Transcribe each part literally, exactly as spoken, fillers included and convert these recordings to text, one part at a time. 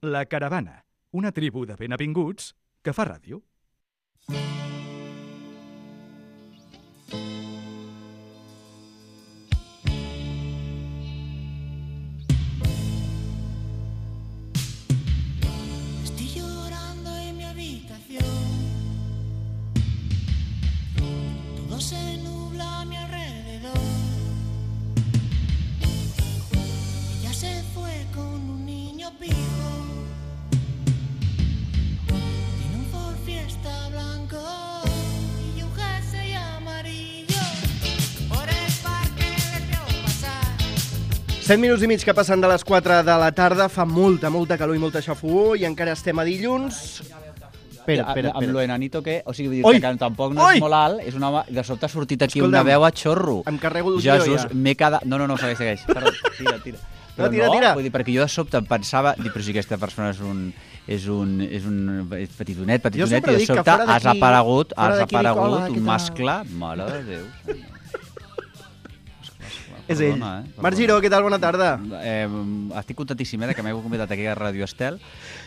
La Caravana, una tribu de benvinguts que fa ràdio. Se nubla a mi alrededor. Ella se fue con un niño pijo. Tiene un Ford Fiesta blanco y un jersey amarillo. Por el parque les veo pasar. set minuts i mig que passen de les quatre de la tarda. Fa molta, molta calor i molta xafogor i encara estem a dilluns. Espera, espera, espera. Amb lo enanito que... O sigui, Oi! que tampoc no Oi! és molt alt, és un home... De sobte ha sortit aquí Escolta'm, una veu a xorro. em carrego el Jesús, ja. m'he quedat... No, no, no, segueix, segueix. Perdó, tira, tira. Però No, tira, tira. Vull dir, perquè jo de sobte em pensava... Dic, però si aquesta persona és un... És un... És un és petitonet, petitonet, sempre i de dic que sobte fora has d'aquí- aparegut, fora has d'aquí dic, hola, aparegut què un tal? mascle... Mare de Déu, senyor. És ell. Perdona, eh? Marc Giró, què tal? Bona tarda. Eh, estic contentíssim eh, de que m'heu convidat aquí a Radio Estel,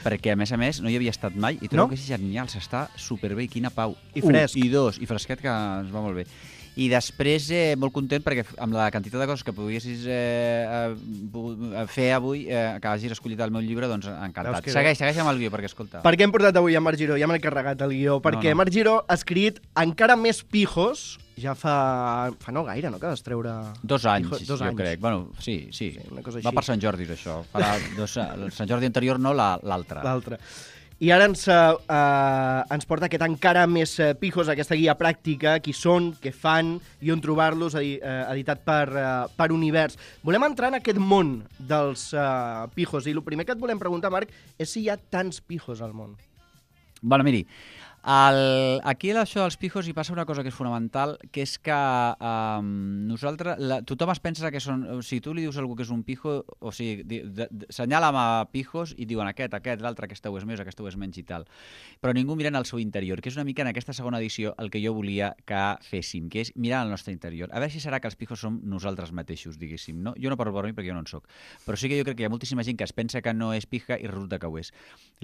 perquè, a més a més, no hi havia estat mai i trobo No? que és genial, s'està superbé i quina pau. I fresc. Un, I dos, i fresquet, que ens va molt bé. I després, eh, molt content, perquè amb la quantitat de coses que poguessis eh, eh, fer avui, eh, que hagis escollit el meu llibre, doncs encantat. Veus que Segueix, segueix amb el guió, perquè escolta. Per què hem portat avui a Marc Giró? Ja m'he carregat el guió. Perquè no. Marc Giró ha escrit encara més pijos. Ja fa... fa no gaire, no?, que vas treure... Dos anys, Pijos, dos jo anys. crec. Bueno, sí, sí. Sí, una cosa Va així. per Sant Jordi, això. Farà dos, el Sant Jordi anterior, no la- l'altre. L'altre. I ara ens, uh, ens porta aquest encara més uh, pijos, aquesta guia pràctica, qui són, què fan i on trobar-los, edi uh, editat per, uh, per Univers. Volem entrar en aquest món dels uh, pijos, i el primer que et volem preguntar, Marc, és si hi ha tants pijos al món. Bueno, miri, el, aquí a això dels pijos hi passa una cosa que és fonamental, que és que um, nosaltres, la, tothom es pensa que són... O sigui, tu li dius a algú que és un pijo, o sigui, di, de, de, senyala amb a pijos i diuen aquest, aquest, l'altre, aquesta ho és més, aquesta ho és menys i tal. Però ningú mira en el seu interior, que és una mica en aquesta segona edició el que jo volia que féssim, que és mirar el nostre interior. A veure si serà que els pijos som nosaltres mateixos, diguéssim, no? Jo no parlo per mi perquè jo no en soc, però sí que jo crec que hi ha moltíssima gent que es pensa que no és pija i resulta que ho és.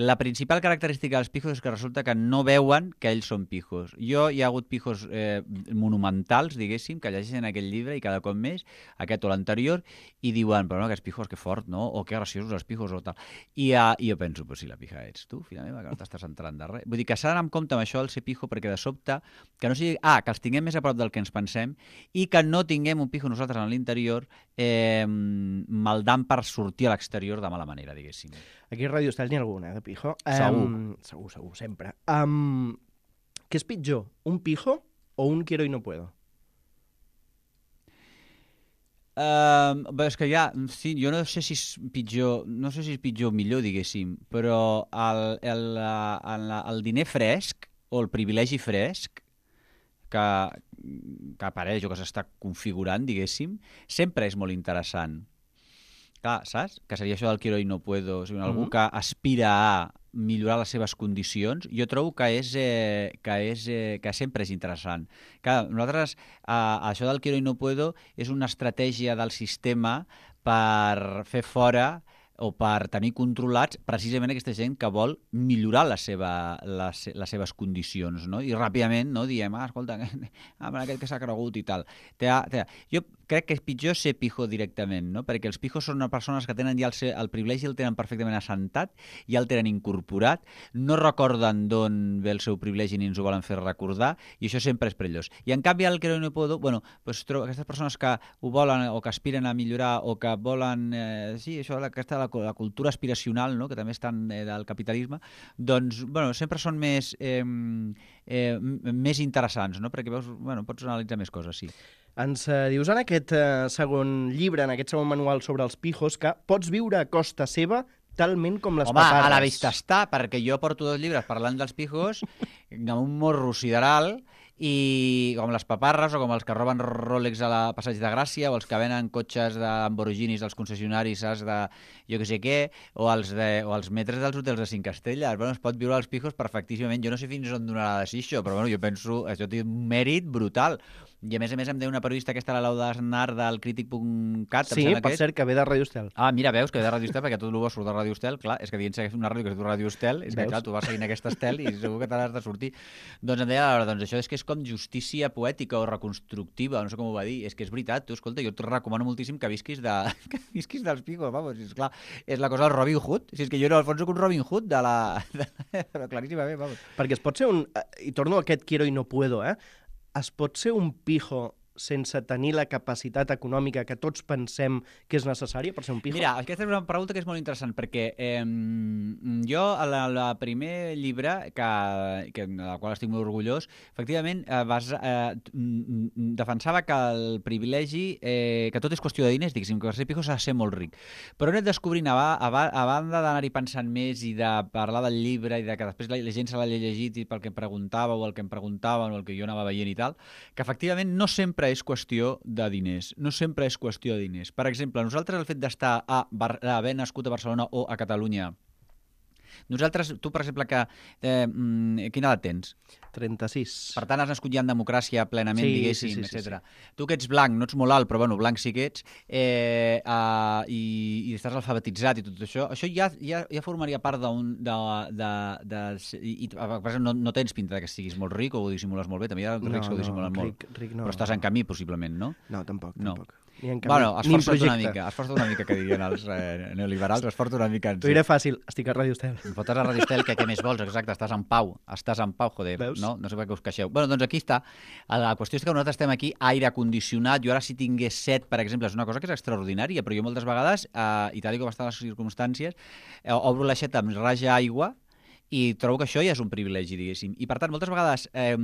La principal característica dels pijos és que resulta que no veuen que ells són pijos. Jo hi ha hagut pijos eh, monumentals, diguéssim, que llegeixen aquell llibre i cada cop més, aquest o l'anterior, i diuen, però no, aquests pijos, que fort, no? O que graciosos els pijos, o tal. I, uh, i jo penso, però si la pija ets tu, filla meva, que no t'estàs entrant de res. Vull dir que s'ha d'anar amb compte amb això, el ser pijo, perquè de sobte, que no sigui... Ah, que els tinguem més a prop del que ens pensem i que no tinguem un pijo nosaltres en l'interior eh, maldant per sortir a l'exterior de mala manera, diguéssim. Aquí a Radio Estel n'hi ha alguna, eh, de pijo. Segur. Um, segur, segur, sempre. Um, què és pitjor, un pijo o un quiero y no puedo? Uh, bé, és que ja, sí, jo no sé si és pitjor, no sé si és pitjor o millor, diguéssim, però el, el, el, el diner fresc o el privilegi fresc que, que apareix o que s'està configurant, diguéssim, sempre és molt interessant. Clar, saps? Que seria això del quiero y no puedo. O sigui, algú Mhm. que aspira a millorar les seves condicions, jo trobo que és, eh, que és eh, que sempre és interessant. Clar, nosaltres, eh, això del quiero y no puedo és una estratègia del sistema per fer fora o per tenir controlats precisament aquesta gent que vol millorar la seva, les, les seves condicions, no? I ràpidament no, diem, ah, escolta, ah, aquest que s'ha cregut i tal. Te ha, te ha. Jo crec que és pitjor ser pijo directament, no? Perquè els pijos són persones que tenen ja el, el privilegi, el tenen perfectament assentat, ja el tenen incorporat, no recorden d'on ve el seu privilegi ni ens ho volen fer recordar, i això sempre és perillós. I en canvi el que no puedo, bueno, pues, trobo aquestes persones que ho volen o que aspiren a millorar o que volen, eh, sí, això, aquesta, la, la cultura aspiracional, no? Que també estan eh, del capitalisme, doncs, bueno, sempre són més, eh, eh, més interessants, no? Perquè veus, bueno, pots analitzar més coses, sí. Ens eh, dius en aquest eh, segon llibre, en aquest segon manual sobre els pijos, que pots viure a costa seva talment com les Home, paparres. a la vista està, perquè jo porto dos llibres parlant dels pijos amb un morro sideral i com les paparres o com els que roben Rolex a la Passeig de Gràcia o els que venen cotxes de Lamborghinis dels concessionaris, saps, de jo que sé què, o els, de, o els metres dels hotels de cinc estrelles. Bueno, es pot viure als pijos perfectíssimament. Jo no sé fins on donarà de ser això, però bueno, jo penso, això té un mèrit brutal. I a més a més em deia una periodista aquesta, la Laura Aznar, del crític punt cat. Sí, per cert, que ve de Radio Estel. Ah, mira, veus que ve de Radio Estel, perquè tot el bo surt de Radio Estel. Clar, és que dient que és una ràdio que es diu Radio Estel, és que, clar, tu vas seguint aquesta estel i segur que te l'has de sortir. Doncs em deia, doncs això és que és com justícia poètica o reconstructiva, no sé com ho va dir. És que és veritat, tu, escolta, jo et recomano moltíssim que visquis, de... que visquis dels pijos, vamos, és clar, és la cosa del Robin Hood. Si és que jo no, al fons, soc un Robin Hood de la... Però claríssimament, vamos. Perquè es pot ser un... I torno a aquest quiero i no puedo, eh? Es pot ser un pijo sense tenir la capacitat econòmica que tots pensem que és necessària per ser un pijo? Mira, aquesta és una pregunta que és molt interessant, perquè eh, jo, a la, la primer llibre, que, que, de la qual estic molt orgullós, efectivament, eh, vas, eh, defensava que el privilegi, eh, que tot és qüestió de diners, diguéssim, que per ser pijo s'ha de ser molt ric. Però he anat descobrint, a, a, a banda d'anar-hi pensant més i de parlar del llibre i de que després la, la gent se l'ha llegit i pel que em preguntava o el que em preguntaven o el que jo anava veient i tal, que efectivament no sempre és qüestió de diners. No sempre és qüestió de diners. Per exemple, nosaltres el fet d'estar a Bar- haver nascut a Barcelona o a Catalunya, nosaltres, tu, per exemple, que eh, quina edat tens? trenta-sis. Per tant, has nascut ja en democràcia plenament, Sí, diguéssim, sí, sí, sí, etcètera. Tu que ets blanc, no ets molt alt, però bueno, blanc sí que ets, eh, uh, i, i estàs alfabetitzat i tot això, això ja, ja, ja formaria part d'un... De, de, de, i, i, per exemple, no, no tens pinta que siguis molt ric o ho dissimules molt bé, també hi ha els rics que ho dissimulen molt. Ric, ric no. Però estàs en camí, possiblement, no? No, tampoc, No. tampoc. Ni en camí, Bueno, ni en esforça't una projecte. mica, esforça't una mica, que dirien els eh, neoliberals, esforça't una mica. T'ho diré fàcil, estic a Radio Estel. Em fotes a Radio Estel, que què més vols? Exacte, estàs en pau, estàs en pau, joder, Veus? no? No sé per què us queixeu. Bueno, doncs aquí està. La qüestió és que nosaltres estem aquí, aire condicionat. Jo ara si tingués set, per exemple, és una cosa que és extraordinària, però jo moltes vegades, eh, i tal com estan les circumstàncies, eh, obro l'aixeta amb raja aigua i trobo que això ja és un privilegi, diguéssim. I, per tant, moltes vegades eh,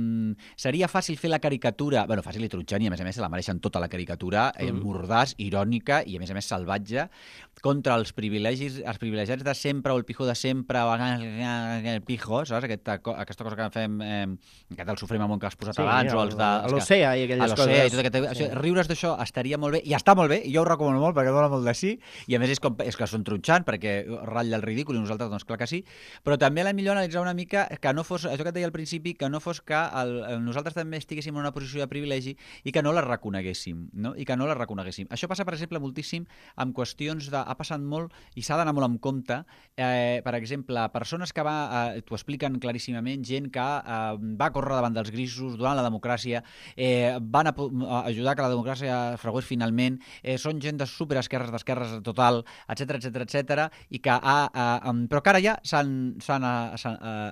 seria fàcil fer la caricatura, bueno, fàcil i tronxant, i a més a més se la mereixen tota la caricatura, eh, Mm. mordàs, irònica i a més a més salvatge, contra els privilegis, els privilegiats de sempre o el pijo de sempre, o el pijo, saps? Aquesta, aquesta cosa que fem, eh, aquest el sofrem amb que has posat Sí, abans, o el- els de... els que- l'Ocea i aquelles a l'Ocea coses. i tot aquest... Sí. Això, riure's d'això estaria molt bé, i està molt bé, i jo ho recomano molt perquè dona molt de sí, i a més és, com, és que són tronxant, perquè ratlla el ridícul, i nosaltres, doncs clar que sí, però també a la millor analitzar una mica que no fos, això que et deia al principi, que no fos que el, el, nosaltres també estiguéssim en una posició de privilegi i que no la reconeguéssim, no? I que no la reconeguéssim. Això passa, per exemple, moltíssim amb qüestions de... Ha passat molt i s'ha d'anar molt en compte. Eh, per exemple, persones que va... Eh, t'ho expliquen claríssimament, gent que eh, va córrer davant dels grisos durant la democràcia, eh, van a, a ajudar que la democràcia fragués finalment, eh, són gent de superesquerres, d'esquerres total, etcètera, etcètera, etcètera, i que ha... Eh, però que ara ja s'han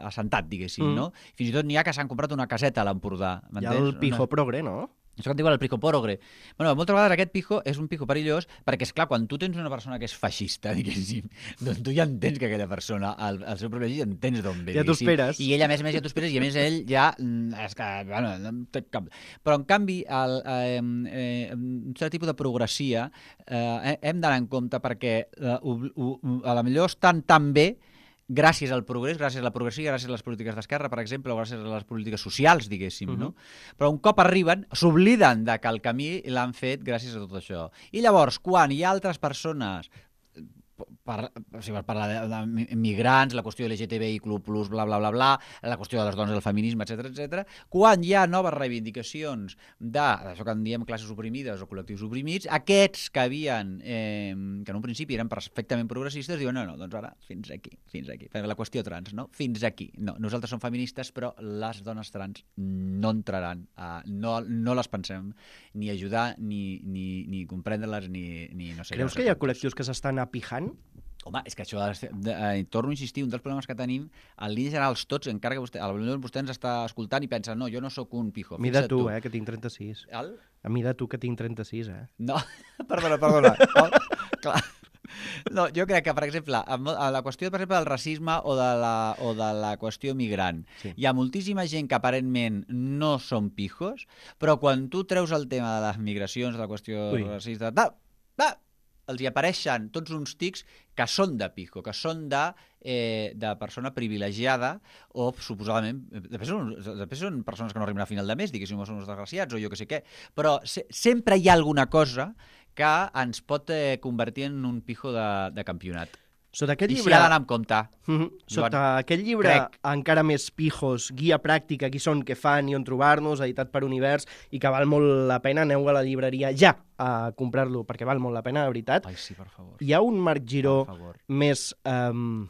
assentat, diguéssim, Mm. no? Fins i tot n'hi ha que s'han comprat una caseta a l'Empordà. Hi ha el pijo progre, no? Això que et diuen el pijo progre. Bueno, moltes vegades aquest pijo és un pijo perillós perquè, és clar, quan tu tens una persona que és feixista, diguéssim, doncs tu ja entens que aquella persona, el, el seu privilegi, entens d'on ve. Ja t'ho diguéssim. esperes. I ell, a més a més, ja t'ho esperes, i a més ell ja... mm, És que, bueno, no en té cap... Però, en canvi, el, eh, eh, un cert tipus de progressia eh, hem d'anar en compte perquè eh, ho, ho, a la millor estan tan bé gràcies al progrés, gràcies a la progressia, gràcies a les polítiques d'esquerra, per exemple, o gràcies a les polítiques socials, diguéssim, Mhm. no? Però un cop arriben, s'obliden de que el camí l'han fet gràcies a tot això. I llavors, quan hi ha altres persones, per, o sigui, per parlar de, de migrants, la qüestió de L G T B I plus, bla, bla, bla, bla, la qüestió de les dones, del feminisme, etcètera, etcètera, quan hi ha noves reivindicacions d'això que en diem classes oprimides o col·lectius oprimits, aquests que havien, eh, que en un principi eren perfectament progressistes, diuen, no, no, doncs ara, fins aquí, fins aquí. La qüestió trans, no? Fins aquí. No, nosaltres som feministes, però les dones trans no entraran, a, no, no les pensem ni ajudar, ni, ni, ni comprendre-les, ni, ni no sé. Creus que hi ha col·lectius que s'estan apijant? Home, és que això, de, de, eh, torno a insistir, un dels problemes que tenim, en línies generals tots, encara que vostè, potser vostè ens està escoltant i pensa, no, jo no sóc un pijo. A mi de fixa't tu, eh, que tinc trenta-sis. El? A mi de tu, que tinc trenta-sis, eh? No, perdona, perdona. Oh, clar. No, jo crec que, per exemple, amb la qüestió, per exemple, del racisme o de la, o de la qüestió migrant, Sí. hi ha moltíssima gent que aparentment no són pijos, però quan tu treus el tema de les migracions, de la qüestió Ui. racista, da, da, els hi apareixen tots uns tics que són de pijo, que són de, eh, de persona privilegiada o, suposadament, després són, després són persones que no arriben a final de mes, diguéssim, o són uns desgraciats o jo que sé què, però se, sempre hi ha alguna cosa que ens pot eh, convertir en un pijo de, de campionat. Sota aquest I llibre... s'hi ha d'anar amb compte. Mhm. Sota Joan, aquest llibre, crec. encara més pijos, guia pràctica, qui són, què fan i on trobar-nos, editat per Univers, i que val molt la pena, aneu a la llibreria ja a comprar-lo, perquè val molt la pena, de veritat. Ai, sí, per favor. Hi ha un Marc Giró Per favor. més um,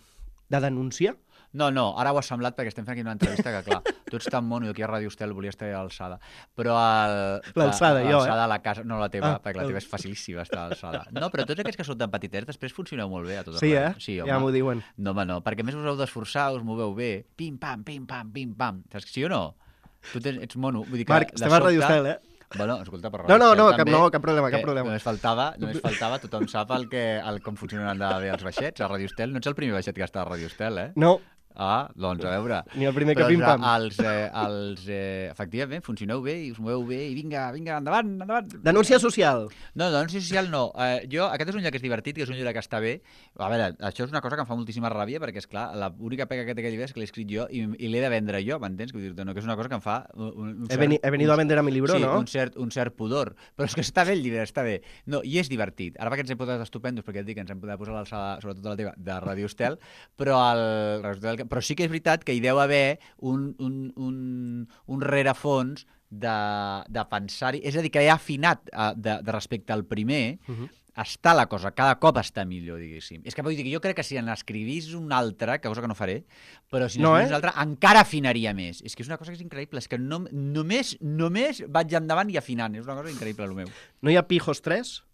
de denúncia? No, no, ara ho has semblat perquè estem fent aquí una entrevista que, clar, tu ets tan mono i aquí a Ràdio Estel volies estar a l'alçada. Però el... L'alçada, jo, eh? L'alçada a la casa... No, la teva, Ah, perquè la el- teva és facilíssima estar a l'alçada. No, però tots aquests que són tan petitets després funcioneu molt bé a tot Sí, eh? arreu. Sí, home. Ja m'ho diuen. No, home, no, perquè a més us heu d'esforçar, us moveu bé. Pim-pam, pim-pam, pim-pam. Saps que sí o no? Tu tens, ets mono. Vull dir que Marc, de estem a Ràdio sobte- Estel, eh? Bueno, escolta, per No, no, Ràdio no, Estel cap, també, no, cap problema, cap que problema. Només faltava, només faltava, tothom sap el que, el, com funcionen de bé els baixets a Ràdio Estel. No ets el primer baixet que està a Ràdio Estel, eh? No, Ah, doncs a veure. Ni el primer que Però pim-pam. Els, eh, els, eh, efectivament, funcioneu bé i us moveu bé i vinga, vinga, endavant, endavant. denúncia social. No, denúncia social no. Eh, jo, aquest és un llibre que és divertit, que és un llibre que està bé. A veure, això és una cosa que em fa moltíssima ràbia perquè, és clar, l'única pega que té aquest llibre és que l'he escrit jo i, i l'he de vendre jo, m'entens? Vull dir-te, no, que és una cosa que em fa un, un He, veni, he venido a vender a mi libro, sí, ¿no? un cert, un cert pudor. Però és que està bé el llibre, està bé. No, i és divertit. Ara perquè ens hem posat estupendos, perquè et dic que ens hem pogut posar a l'alçada, sobretot a la teva, de Ràdio Estel, però, el, però sí que és veritat que hi deu haver un, un, un, un rerefons de, de pensar-hi. És a dir, que he afinat uh, de, de respecte al primer, uh -huh. està la cosa, cada cop està millor, diguéssim. És que vull dir que jo crec que si n'escrivís un altre, que cosa que no faré, però si n'escrivís No, no, eh? un altre, encara afinaria més. És que és una cosa que és increïble, és que no, només, només vaig endavant i afinant. És una cosa increïble, el meu. No hi ha Pijos tres?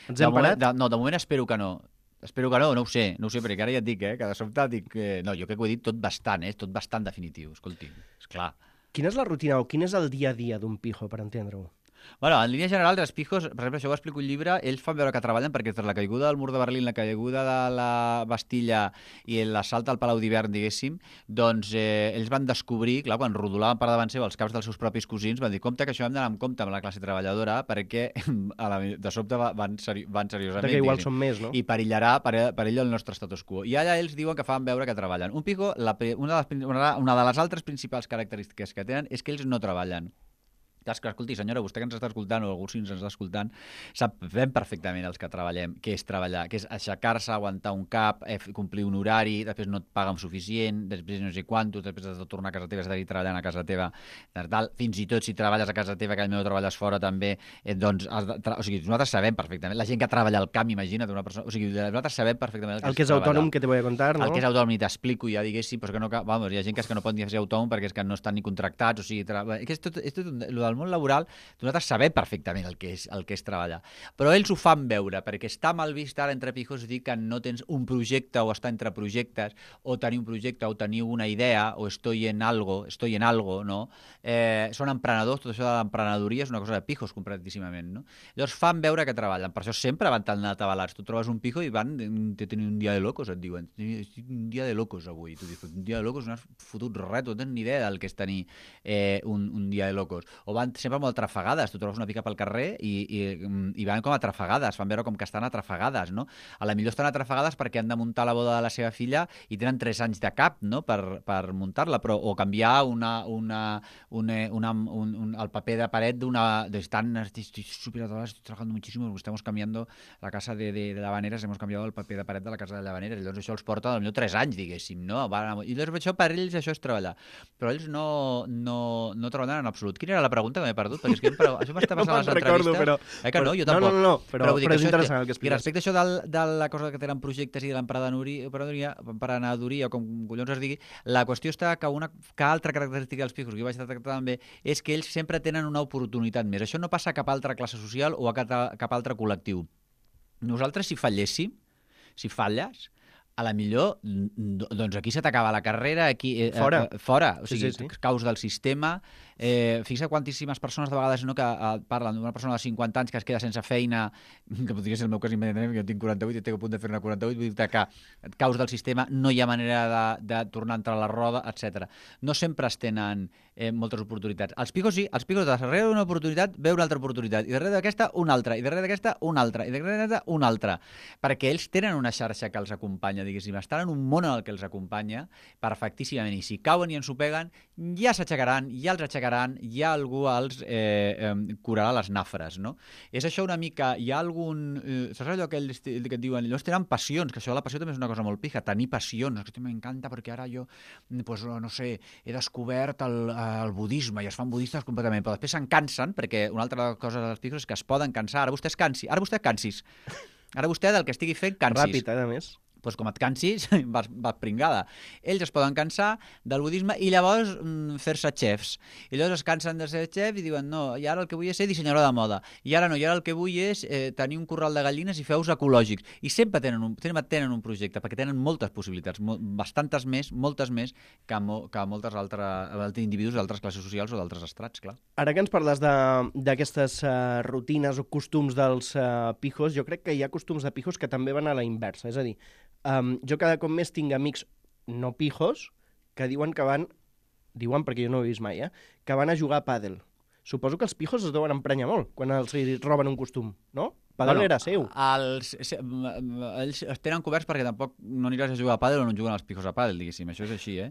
Ens De hem moment, parat? de, no, de moment espero que no. Espero que no, no ho sé, no ho sé, perquè ara ja et dic, eh, que de sobte dic... Eh, no, jo crec que ho he dit tot bastant, eh, tot bastant definitiu, escolti, esclar. Quina és la rutina o quin és el dia a dia d'un pijo, per entendre-ho? Bueno, en línia general, els pijos, per exemple, això ho explico un llibre, ells fan veure que treballen perquè entre la caiguda del mur de Berlín, la caiguda de la Bastilla i l'assalt al Palau d'Hivern, diguéssim, doncs eh, ells van descobrir, clar, quan rodolaven per davant seu els caps dels seus propis cosins, van dir, compte que això hem d'anar amb compte amb la classe treballadora perquè a la, de sobte va- van, seri van seriosament. Que igual diguéssim, són més, no? I perillarà per, per ell el nostre status quo. I allà ells diuen que fan veure que treballen. Un pijo, la, una, de les, prin- una una de les altres principals característiques que tenen és que ells no treballen. Clar, que, escolti, senyora, vostè que ens està escoltant o algú si ens està escoltant, sabem perfectament els que treballem què és treballar, que és aixecar-se, aguantar un cap, eh, complir un horari, després no et paguen suficient, després no sé quanto, després has de tornar a casa teva, has de treballant a casa teva, tal. Fins i tot si treballes a casa teva, que potser treballes fora també, eh, doncs, has de o sigui, nosaltres sabem perfectament, la gent que treballa al camp, imagina't una persona, o sigui, nosaltres sabem perfectament el que, El que és autònom, que te voy a contar, no? el que és autònom, ni t'explico ja, diguéssim, però que no, vamos, hi ha gent que, és que no pot ni ser autònom perquè és que no estan ni contractats, o sigui, tra... és, tot, és tot un... Lo del món laboral, nosaltres sabem perfectament el que és, el que és treballar. Però ells ho fan veure, perquè està mal vist ara entre pijos dir que no tens un projecte o estar entre projectes, o tenir un projecte o tenir una idea, o estoy en algo, estoy en algo, no? Eh, són emprenedors, tot això de l'emprenedoria és una cosa de pijos, completíssimament, no? Llavors fan veure que treballen, per això sempre van tan atabalats. Tu trobes un pijo i van te tenir un dia de locos, et diuen. Un dia de locos avui. Tu dius, un dia de locos no has fotut res, tu no tens ni idea del que és tenir eh, un, un dia de locos. O van sempre molt atrafegades, tu trobes una pica pel carrer i, i, i van com atrafegades, fan veure com que estan atrafegades, no? A la millor estan atrafegades perquè han de muntar la boda de la seva filla i tenen tres anys de cap, no?, per, per muntar-la, però o canviar una, una, una, una, un, un, el paper de paret d'una... Estan, estoy súper atrás, estoy trabajando muchísimo, estamos cambiando la casa de, de, de Llavaneres, hemos cambiado el paper de paret de la casa de Llavaneres, llavors això els porta potser tres anys, diguéssim, no? Van, i llavors això per ells això és treballar, però ells no, no, no treballen en absolut. Quina era la pregunta que m'he perdut? Perquè és que però, això m'està passant No a les me'n recordo, entrevistes. però- Eh que no? Jo no, tampoc. no, no, no, però- vull dir però que és això interessant el que I expliques. respecte a això del, de la cosa que tenen projectes i de l'emprenedoria, emprenedoria, emprenedoria, o com collons es digui, la qüestió està que una que altra característica dels pijos que jo vaig tractar també és que ells sempre tenen una oportunitat més. Això no passa a cap altra classe social o a cap, cap altre col·lectiu. Nosaltres, si falléssim, si falles, a la millor, doncs aquí se t'acaba la carrera, aquí... Eh, Fora. Eh, fora, o Sí, sigui, sí, sí. caus del sistema. Eh, fixa quantíssimes persones de vegades no, que eh, parlen d'una persona de cinquanta anys que es queda sense feina, que podria ser el meu cas immediatament, jo tinc quaranta-vuit i estic a punt de fer-ne quaranta-vuit, vull dir que et caus del sistema, no hi ha manera de, de tornar a entrar a la roda, etcètera. No sempre es tenen eh, moltes oportunitats. Els pijos sí, els pijos darrere d'una oportunitat ve una altra oportunitat, i darrere d'aquesta una altra, i darrere d'aquesta una altra, i darrere d'aquesta una altra, perquè ells tenen una xarxa que els acompanya acompanya, diguéssim. Estan en un món en el que els acompanya perfectíssimament. I si cauen i ensopeguen, ja s'aixecaran, ja els aixecaran, ja algú els eh, eh, curarà les nafres, no? És això una mica... Hi ha algun... Eh, saps allò que, ells, que et diuen? Ells tenen passions, que això de la passió també és una cosa molt pija, tenir passions. Que m'encanta perquè ara jo, pues, no sé, he descobert el, el budisme i es fan budistes completament, però després se'n cansen, perquè una altra cosa dels pijos és que es poden cansar. Ara vostè es cansi, ara vostè cansis. Ara vostè del que estigui fent cansis. Ràpid, eh, a més. Doncs com et cansis, vas, vas pringada. Ells es poden cansar del budisme i llavors mm, fer-se xefs. I llavors es cansen de ser xef i diuen no, i ara el que vull és ser dissenyador de moda. I ara no, i ara el que vull és eh, tenir un corral de gallines i fer ous ecològics. I sempre tenen un, sempre tenen un projecte, perquè tenen moltes possibilitats, mo bastantes més, moltes més que, mo que moltes altres individus d'altres classes socials o d'altres estrats, clar. Ara que ens parles d'aquestes uh, rutines o costums dels uh, pijos, jo crec que hi ha costums de pijos que també van a la inversa. És a dir, um, jo cada cop més tinc amics no pijos que diuen que van, diuen perquè jo no ho he vist mai, eh, que van a jugar a pàdel. Suposo que els pijos es deuen emprenyar molt quan els roben un costum, no? Pàdel bueno, era seu. Els, ells es tenen coberts perquè tampoc no aniràs a jugar a pàdel o no juguen els pijos a pàdel, diguéssim. Això és així, eh?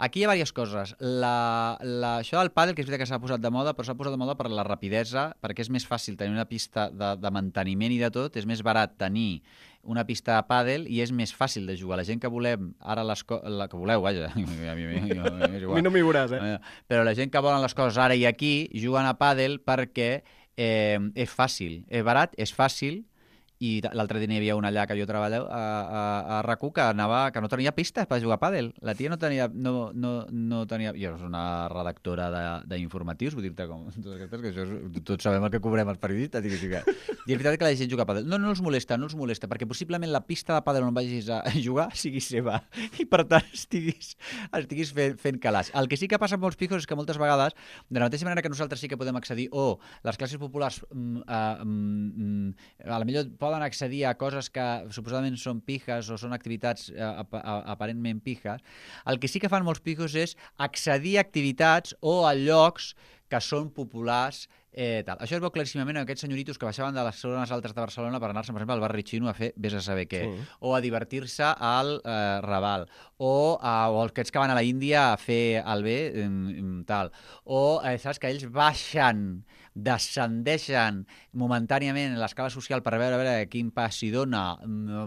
Aquí hi ha diverses coses. La, la, això del pàdel, que és veritat que s'ha posat de moda, però s'ha posat de moda per la rapidesa, perquè és més fàcil tenir una pista de, de manteniment i de tot, és més barat tenir una pista de pàdel i és més fàcil de jugar. La gent que volem, ara les co la que voleu, vaja, a mi, a mi, a mi, a mi no m'hi veuràs, eh? Però la gent que volen les coses ara i aquí juguen a pàdel perquè eh, és fàcil, és barat, és fàcil, i l'altre dia hi havia una allà que jo treballo a, a, a R A C U que, anava, que no tenia pistes per jugar a pàdel. La tia no tenia... No, no, no tenia jo és una redactora d'informatius, vull dir-te com... Que això és, tots sabem el que cobrem els periodistes. I, que, i és veritat que la gent juga a pàdel. No, no els molesta, no els molesta, perquè possiblement la pista de pàdel on vagis a jugar sigui seva i per tant estiguis, estiguis fent, fent calaix. El que sí que passa amb molts pijos és que moltes vegades, de la mateixa manera que nosaltres sí que podem accedir, o les classes populars mm, uh, mm, a la millor poden accedir a coses que suposadament són pijes o són activitats eh, ap aparentment pijes, el que sí que fan molts pijos és accedir a activitats o a llocs que són populars. Eh, tal. Això es veu claríssimament en aquests senyoritos que baixaven de les zones altes de Barcelona per anar-se, per exemple, al barri xino a fer vés a saber què, sí. O a divertir-se al eh, Raval, o, a, o aquests que van a la Índia a fer el bé, tal, o eh, saps que ells baixen, descendeixen momentàniament l'escala social per veure, a veure quin pas s'hi dona,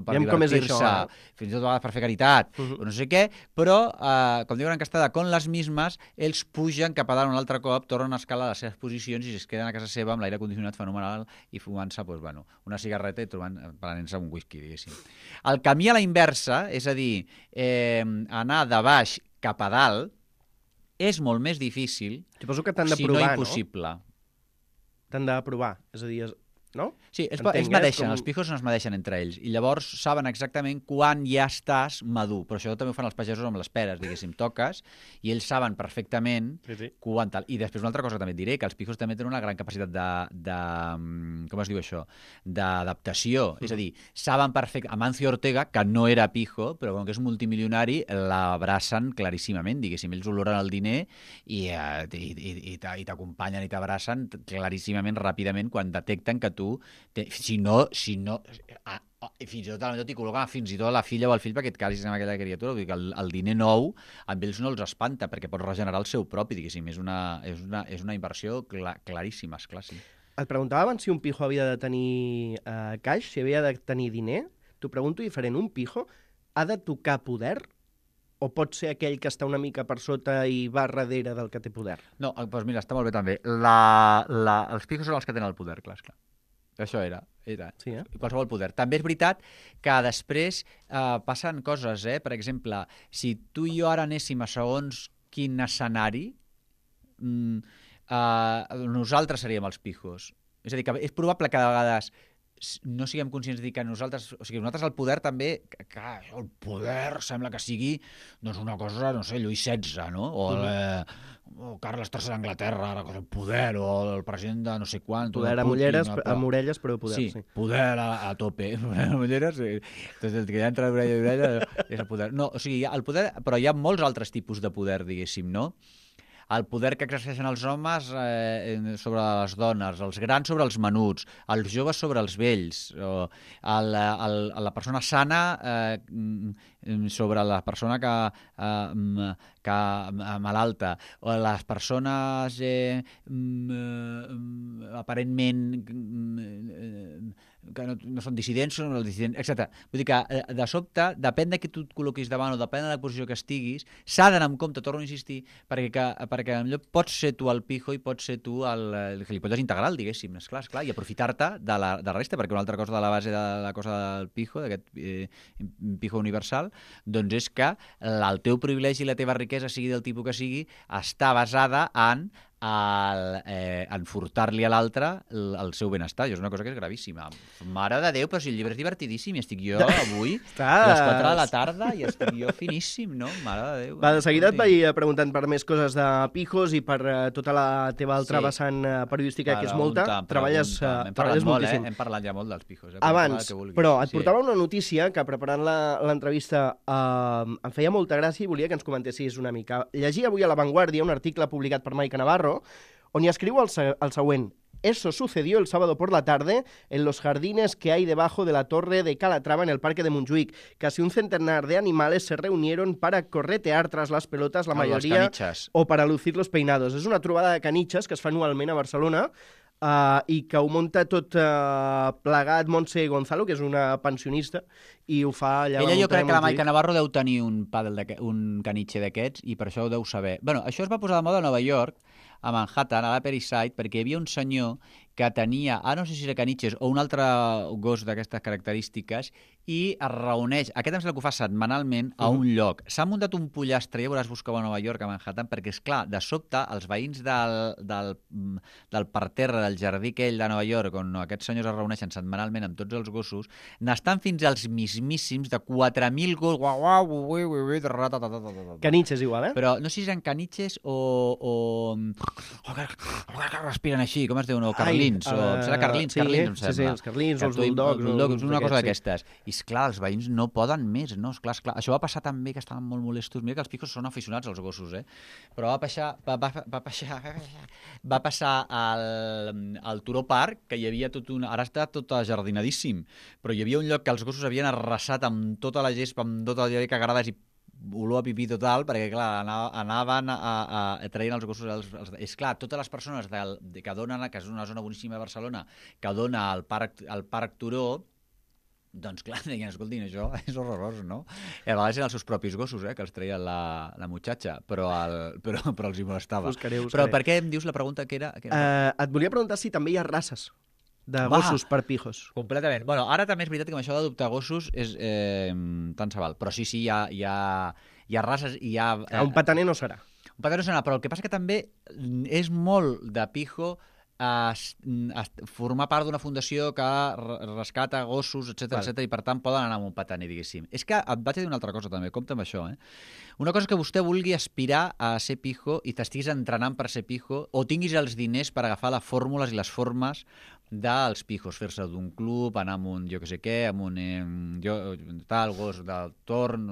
per divertir-se, eh? Fins i tot a vegades per fer caritat, uh -huh. no sé què, però, eh, com diuen en castellà, con les mismes, ells pugen cap a dalt un altre cop, tornen a escalar les seves posicions i es queden a casa seva amb l'aire condicionat fenomenal i fumant-se doncs, bueno, una cigarreta i trobant, prenent-se un whisky, diguéssim. El camí a la inversa, és a dir, eh, anar de baix cap a dalt, és molt més difícil, suposo que t'han de si provar, no impossible. No? T'han de provar, és a dir, és... no? Sí, es, es medeixen, com... els pijos no es medeixen entre ells, i llavors saben exactament quan ja estàs madur, però això també ho fan els pagesos amb les peres, diguéssim, toques, i ells saben perfectament sí, sí. quan tal. I després una altra cosa que també et diré, que els pijos també tenen una gran capacitat de, de com es diu això, d'adaptació, mm. és a dir, saben perfectament, Amancio Ortega, que no era pijo, però com que és un multimilionari, l'abracen claríssimament, diguéssim, ells oloren el diner i, eh, i, i, i t'acompanyen i t'abracen claríssimament, ràpidament, quan detecten que tu Te, si no, si no a, a, fins i tot t'hi col·loquen fins i tot la filla o el fill perquè et casis amb aquella criatura, vull dir que el, el diner nou amb ells no els espanta perquè pots regenerar el seu propi, diguéssim, és una, és una, és una inversió cla, claríssima, esclar, sí. Et preguntava abans si un pijo havia de tenir uh, caix, si havia de tenir diner. T'ho pregunto diferent, un pijo ha de tocar poder o pot ser aquell que està una mica per sota i va darrere del que té poder? No, doncs mira, està molt bé també. La, la, els pijos són els que tenen el poder, clar, esclar. Això era, era. Sí, eh? Qualsevol poder. També és veritat que després eh, passen coses, eh? Per exemple, si tu i jo ara anéssim a segons quin escenari, mm, eh, nosaltres seríem els pijos. És a dir, que és probable que de vegades no siguem conscients de dir que nosaltres, o sigui, nosaltres el poder també, que, que el poder sembla que sigui doncs una cosa, no sé, Lluís setze, no? O, el, eh, o Carles tercer d'Anglaterra, el poder, o el president de no sé quant. Poder amb ulleres, amb orelles, però poder, sí. Sí, poder a, a tope. Poder amb ulleres, sí. Entonces, el que ja entra d'orella a orella és el poder. No, o sigui, el poder, però hi ha molts altres tipus de poder, diguéssim, no? el poder que exerceixen els homes eh, sobre les dones, els grans sobre els menuts, els joves sobre els vells, o el, el, la persona sana eh, sobre la persona que, eh, que malalta, o les persones eh, aparentment que no, no són dissidents, són els dissidents, etcètera. Vull dir que, de sobte, depèn de qui tu et col·loquis davant o depèn de la posició que estiguis, s'ha d'anar amb compte, torno a insistir, perquè, que, perquè potser pots ser tu el pijo i pots ser tu el, el gilipolles integral, diguéssim, esclar, esclar, i aprofitar-te de la, de la resta, perquè una altra cosa de la base de la cosa del pijo, d'aquest eh, pijo universal, doncs és que el teu privilegi i la teva riquesa, sigui del tipus que sigui, està basada en el, eh, en furtar-li a l'altre el, el seu benestar. Això és una cosa que és gravíssima. Mare de Déu, però si el llibre és divertidíssim i estic jo avui a les quatre de la tarda i estic jo finíssim, no? Mare de Déu. Va, de seguida et vaig preguntant per més coses de pijos i per uh, tota la teva altra sí. vessant uh, periodística, que és molta. Pregunta, Treballes, pregunta. uh, Hem treballes molt, moltíssim. Eh? Hem parlat ja molt dels pijos. Eh? Abans, però et sí. portava una notícia que preparant l'entrevista uh, em feia molta gràcia i volia que ens comentessis una mica. Llegia avui a La Vanguardia un article publicat per Maica Navarro on hi escriu el, el següent. Eso sucedió el sábado por la tarde en los jardines que hay debajo de la torre de Calatrava en el parque de Montjuïc. Casi un centenar de animales se reunieron para corretear tras las pelotas, la a mayoría, o para lucir los peinados. És una trobada de caniches que es fa anualment a Barcelona uh, i que ho munta tot uh, plegat Montse Gonzalo, que és una pensionista, i ho fa allà... Ella jo crec que la Maica Navarro deu tenir un, pàdel un canitxe d'aquests i per això ho deu saber. Bueno, això es va posar de moda a Nova York, a Manhattan, a l'Upper East Side, perquè hi havia un senyor que tenia, ah, no sé si era caniches o un altre gos d'aquestes característiques, i es reuneix, aquest em sembla que ho fa setmanalment, a un lloc. S'ha muntat un pollastre, ja veuràs buscar a Nova York, a Manhattan, perquè, és clar, de sobte, els veïns del, del, del parterre del jardí aquell de Nova York, on aquests senyors es reuneixen setmanalment amb tots els gossos, n'estan fins als mismíssims de quatre mil gossos. Caniches igual, eh? Però no sé si eren caniches o... o... respiren així, com es diu? No, carlins. Ai, o... uh, Serà carlins, sí, carlins, em sí, sembla. Sí, els carlins, els bulldogs. bulldogs una cosa sí. d'aquestes. I, esclar, els veïns no poden més, no? Esclar, esclar. Això va passar també, que estaven molt molestos. Mira que els pijos són aficionats als gossos, eh? Però va passar, va, va, va passar, va passar al, al Turó Park, que hi havia tot un... Ara està tot ajardinadíssim, però hi havia un lloc que els gossos havien arrasat amb tota la gespa, amb tota la cagades i olor a pipí total, perquè, clar, anaven a, a, a traient els gossos... Els, els, és clar, totes les persones del, que donen, que és una zona boníssima de Barcelona, que dona al Parc, al Parc Turó, doncs, clar, deien, escoltin, això és horrorós, no? I a vegades eren els seus propis gossos, eh, que els treien la, la muchacha, però, el, però, però els hi molestava. Buscaré, buscaré. Però per què em dius la pregunta que era? Que era... Uh, et volia preguntar si també hi ha races de Va. gossos per pijos. Completament. Bueno, ara també és veritat que amb això d'adoptar gossos és eh, tant se val, però sí, sí, hi ha, hi ha, hi ha races, hi ha... Eh, un pataner no serà. Un pataner no serà, però el que passa que també és molt de pijo a, a formar part d'una fundació que rescata gossos, etcètera, etcètera, i per tant poden anar amb un pataner, diguéssim. És que et vaig a dir una altra cosa també, compte amb això, eh? Una cosa que vostè vulgui aspirar a ser pijo i t'estiguis entrenant per ser pijo o tinguis els diners per agafar les fórmules i les formes dels pijos, fer-se d'un club, anar amb un jo que sé què, amb un eh, jo, tal, gos del torn,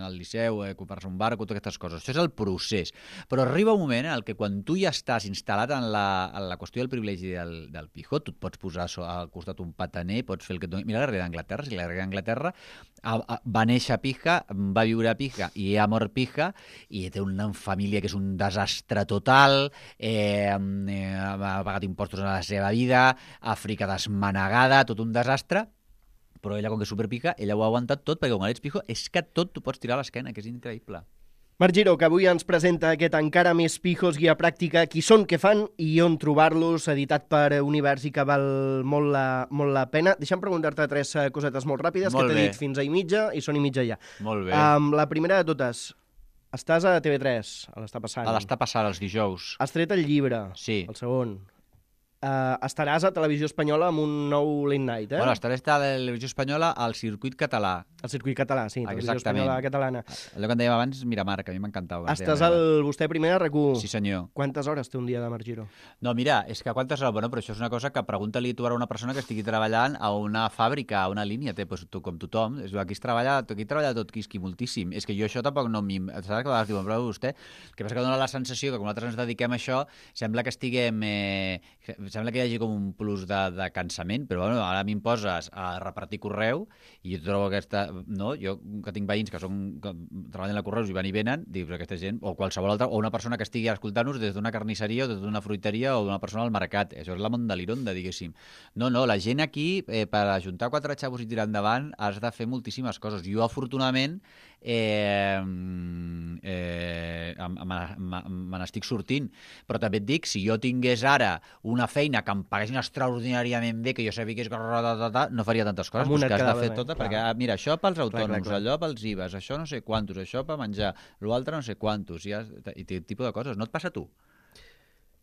al liceu, eh, comprar-se un barco, totes aquestes coses. Això és el procés. Però arriba un moment en el que quan tu ja estàs instal·lat en la, en la qüestió del privilegi del, del pijo, tu et pots posar al costat un pataner, pots fer el que et doni... Mira la reina d'Anglaterra, si la reina d'Anglaterra va néixer a pija, va viure a pija i ha mort pija, i té una família que és un desastre total, eh, eh, ha pagat impostos a la seva vida, Àfrica desmanegada, tot un desastre, però ella, com que és superpica, ella ho ha aguantat tot, perquè quan ets pijo és que tot t'ho pots tirar a l'esquena, que és increïble. Marc Giró, que avui ens presenta aquest encara més pijos guia pràctica, qui són, què fan i on trobar-los, editat per Univers i que val molt la, molt la pena. Deixa'm preguntar-te tres cosetes molt ràpides, molt que t'he dit fins a i mitja i són i mitja ja. Molt bé. Um, la primera de totes, estàs a T V tres, a l'està passant. A l'està passant, els dijous. Has tret el llibre, sí. el segon. Uh, estaràs a Televisió Espanyola amb un nou late night, eh? Bueno, estaré a la televisió espanyola al circuit català. El circuit català, sí, Televisió Exactament. Espanyola catalana. Allò que en dèiem abans, Miramar, que a mi m'encantava. Estàs al vostè primer a RAC u. Sí, senyor. Quantes hores té un dia de Marc Giró? No, mira, és que quantes hores... Bueno, però això és una cosa que pregunta-li tu ara a una persona que estigui treballant a una fàbrica, a una línia, té, doncs, tu, com tothom. És, aquí es treballa, aquí treballa tot quisqui moltíssim. És que jo això tampoc no m'hi... Saps que a vegades diuen, però vostè... El que passa que dona la sensació que quan nosaltres ens dediquem a això, sembla que estiguem... Eh, sembla que hi hagi com un plus de, de cansament, però bueno, ara m'imposes a repartir correu i jo trobo aquesta... No? Jo, que tinc veïns que, són, que treballen a correus i van i venen, dic, aquesta gent, o qualsevol altra, o una persona que estigui escoltant-nos des d'una carnisseria o des d'una fruiteria o d'una persona al mercat. Això és la mondalironda, diguéssim. No, no, la gent aquí, eh, per ajuntar quatre xavos i tirar endavant, has de fer moltíssimes coses. Jo, afortunadament, eh, eh, me n'estic sortint. Però també et dic, si jo tingués ara una feina que em paguessin extraordinàriament bé, que jo sabia que és... no faria tantes coses, doncs que has de fer tota, perquè, mira, això pels autònoms, clar, clar, clar. Allò pels I V As, això no sé quantos, això per menjar, l'altre no sé quantos, i, has, i aquest tipus de coses. No et passa a tu?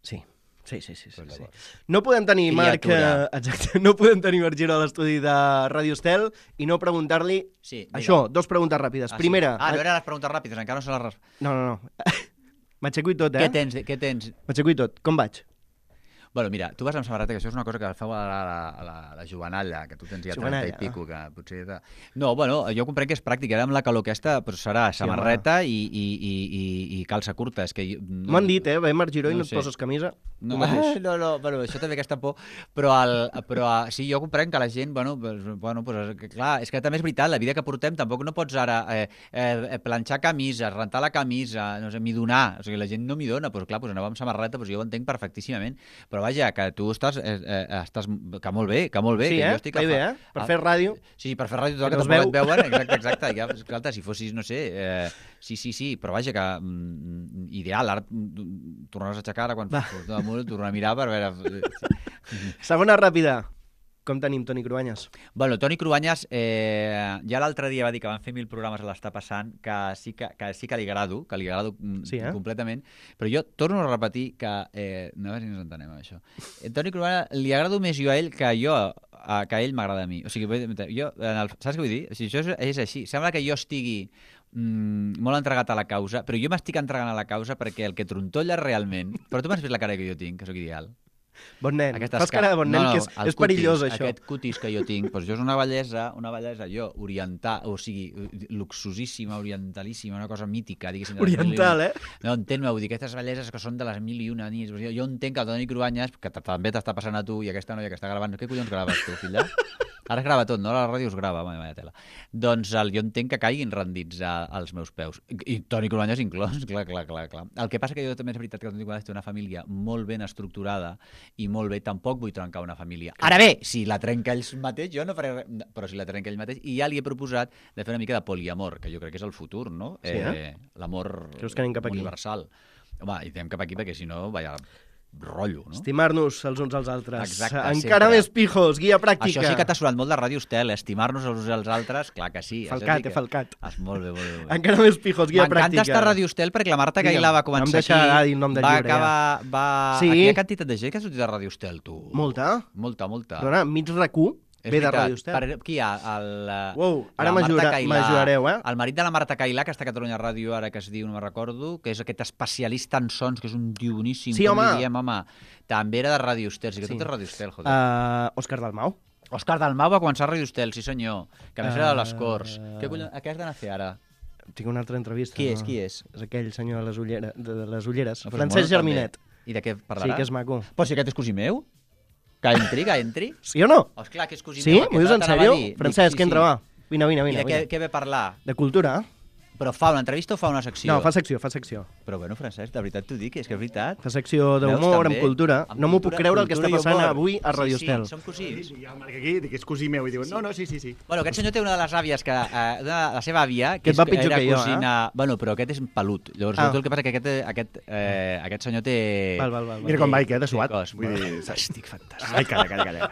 Sí. Sí, sí, sí. sí, Pues sí. llavors. No podem tenir, Marc, eh, exacte, no podem tenir Marc Giró a l'estudi de Ràdio Estel i no preguntar-li Sí, això, dos preguntes ràpides. Ah, Primera... Sí. Ah, no eren les preguntes ràpides, encara no se les... res- No, no, no. M'aixeco i tot, eh? Què tens? Què tens? M'aixeco i tot. Com vaig? Bueno, mira, tu vas amb samarreta, que això és una cosa que feu a la, a la, a la jovenalla, que tu tens ja trenta i Jovenalla, pico, que potser... De... No, bueno, jo comprenc que és pràctic, ara amb la calor aquesta però serà samarreta i, i, i, i, i calça curta. És que... No... M'ho han dit, eh? Ve Marc Giró i No no et sé. poses camisa. No, Tu mateix. no, no, bueno, això també aquesta por, però, el, però sí, jo comprenc que la gent, bueno, pues, bueno pues, que, clar, és que també és veritat, la vida que portem tampoc no pots ara eh, eh, planxar camises, rentar la camisa, no sé, m'hi donar, o sigui, la gent no m'hi dona, doncs clar, pues, anava amb samarreta, doncs jo ho entenc perfectíssimament, però vaja, que tu estàs, eh, eh, estàs que molt bé, que molt bé, Sí, que eh? jo estic... Va bé, eh? Per fer ràdio. Sí, per fer ràdio, Que tot no el es que veu. tampoc et veuen, exacte, exacte, ja, esclar, si fossis, no sé, eh, sí, sí, sí, però vaja, que mm, ideal, ara mm, tornaràs a aixecar, ara quan Va. fos damunt, tornar a mirar per veure... Segona ràpida. Com tenim Toni Cruanyes? Bueno, Toni Cruanyes, eh, ja l'altre dia va dir que van fer mil programes a l'Està Passant, que sí que, que sí que li agrado, que li agrado mm, Sí, eh? completament, però jo torno a repetir que... Eh, no, a veure si ens entenem amb això. Eh, Toni Cruanyes li agrado més jo a ell que jo a, que ell m'agrada a mi. O sigui, jo, en el, saps què vull dir? O sigui, això és, és així. Sembla que jo estigui mm, molt entregat a la causa, però jo m'estic entregant a la causa perquè el que trontolla realment... Però tu m'has vist la cara que jo tinc, que sóc ideal. Bon nen. Aquestes Fas cara de bon nen, no, no, que és, el és perillós, cutis, això. Aquest cutis que jo tinc, doncs jo és una bellesa, una bellesa, jo, oriental, o sigui, luxosíssima, orientalíssima, una cosa mítica, diguéssim. de les Oriental, mil i eh? una- No, entén-me, vull dir, aquestes belleses que són de les mil i una nits. Jo, jo entenc que el Toni Cruanyes, que t- també t'està passant a tu, i aquesta noia que està gravant, què collons graves tu, filla? Ara es grava tot, no? La ràdio es grava, vaya tela. Doncs el, jo entenc que caiguin rendits a, als meus peus. I, i Toni Cruanyes inclòs, clar, clar, clar, clar. El que passa que jo també és veritat que el Toni Cruanyes té una família molt ben estructurada i molt bé, tampoc vull trencar una família. Ara bé, si la trenca ell mateix, jo no faré res, però si la trenca ell mateix, i ja li he proposat de fer una mica de poliamor, que jo crec que és el futur, no? Sí, eh? L'amor Creus que anem cap aquí? universal. Home, i anem cap aquí perquè si no, vaya rotllo, no? Estimar-nos els uns als altres. Exacte, Encara sempre. més pijos, guia pràctica. Això sí que t'ha sonat molt de Ràdio Estel, estimar-nos els uns als altres, clar que sí. això Falcat, sí que... he falcat. Ah, molt bé, molt bé. Molt bé. Encara més pijos, guia pràctica. M'encanta estar a Ràdio Estel perquè la Marta Digue'm, Cailà va no em començar deixarà aquí, dir nom del va llibre, acabar... Va... Sí. Aquí hi ha quantitat de gent que ha sortit de Ràdio Estel, tu. Molta. Molta, molta. Dona, mig racó És ve de veritat. Ràdio Estel. Per, qui hi ha? El, eh, Uau, ara la Marta m'ajura- Cailà, m'ajudareu, eh? El marit de la Marta Cailà, que està a Catalunya Ràdio ara, que es diu, no me'n recordo, que és aquest especialista en sons, que és un tio boníssim. Sí, com home. li diem, home. També era de Ràdio Estel, sí que Sí. tot és Ràdio Estel, joder. Uh, Òscar Dalmau. Òscar Dalmau va començar a Ràdio Estel, sí senyor, que a més era de les Ah. Corts. Què, collons, a què has d'anar a fer ara? Tinc una altra entrevista. Qui és, no? qui és? És aquell senyor de les, ullera, de, de les ulleres. No, però Francesc molt, Germinet. també. I de què parlarà? Sí, que és maco. Però si aquest és cosí meu? Que entri, que entri? Sí o no? Oh, esclar, que és cosí Sí? meu. M'ho dius en sèrio? Francesc, entra, va. Vine, vine, I vine. de què, vine. què ve a parlar? De cultura? Però fa una entrevista o fa una secció? No, fa secció, fa secció. Però bueno, Francesc, de veritat t'ho dic, és que és veritat. Fa secció Veus, d'humor, també? amb cultura. Amb No m'ho puc cultura- creure el que està cultura i passant humor. avui a Ràdio Sí, Estel. sí, som cosins. I el Marc aquí, dic que és cosí meu, i diuen, no, no, sí, sí, sí. Bueno, aquest senyor té una de les àvies que... Eh, una, la seva àvia, Que que et va és, pitjor era que jo, cosina... Bueno, però aquest és pelut. Llavors, Ah. ah. el que passa que aquest, aquest, eh, aquest senyor té... Val, val, val. Mira com vaig, eh, de té suat. cos. Vull dir, Fantàstic, fantàstic. Ai, calla, calla, calla.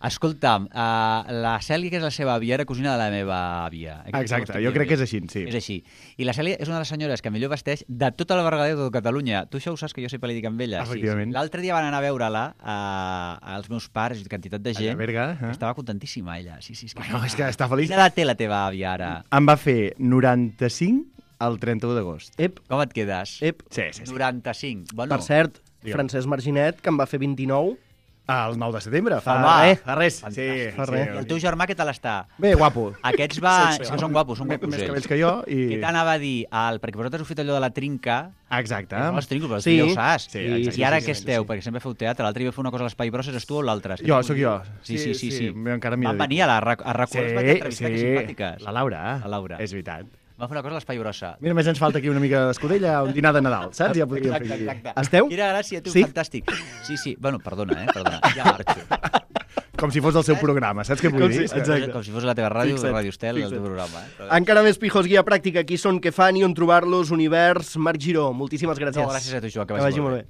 Escolta'm, uh, la Cèlia, que és la seva àvia, era cosina de la meva àvia. Exacte, jo crec que és així, sí. És així. I la Cèlia és una de les senyores que millor vesteix de tota la Berguedà de tota Catalunya. Tu això ho saps, que jo sempre li dic amb ella. Efectivament. Sí, sí. L'altre dia van anar a veure-la uh, als meus pares, quantitat de gent. A Berga, eh? Estava contentíssima, ella. Sí, sí, és que, Bueno, és que està feliç. Quina edat té la teva àvia, ara? Em va fer noranta-cinc el trenta-u d'agost. Ep, Com et quedes? ep. Sí, sí, sí. noranta-cinc. Bueno, Per cert, Digue'm. Francesc Marginet, que em va fer vint-i-nou. El nou de setembre, fa, Home, eh, fa res. Sí, fantàstic. Fa sí, res. I el teu germà què tal està? Bé, guapo. Aquests van... Sí, sí, és que són guapos, són Més guapos cabells ells. que jo i... Què t'anava a dir? El, perquè vosaltres heu fet allò de la trinca. Exacte. No els trinco, però Sí. sí. ja ho saps. Sí, I, exacte, I ara sí, què sí, esteu? sí. Perquè sempre feu teatre. L'altre dia va fer una cosa a l'Espai Bros, eres tu o l'altre? Jo, sóc jo. Sí, sí, sí. sí. Jo encara m'hi Van dedico. venir a la RAC a RAC u, els vaig entrevistar, que simpàtiques. La Laura. La Laura. És veritat. Va fer una cosa a l'Espai Brossa. Mira, només ens falta aquí una mica d'escudella, un dinar de Nadal, saps? Ja podríem fer Exacte, aquí. exacte. Esteu? Quina gràcia, tu, Sí? fantàstic. Sí, sí. Bueno, perdona, eh? Perdona. Ja marxo. Com si fos el seu programa, saps què vull Com dir? si- Exacte. Com si fos la teva ràdio, Fixa't, Ràdio Estel, el fixa't. teu programa. Eh? Encara més pijos, guia pràctica, qui són, què fan i on trobar-los, Univers, Marc Giró. Moltíssimes gràcies. No, gràcies a tu, Joan, que Que vagi vagi molt molt bé. bé.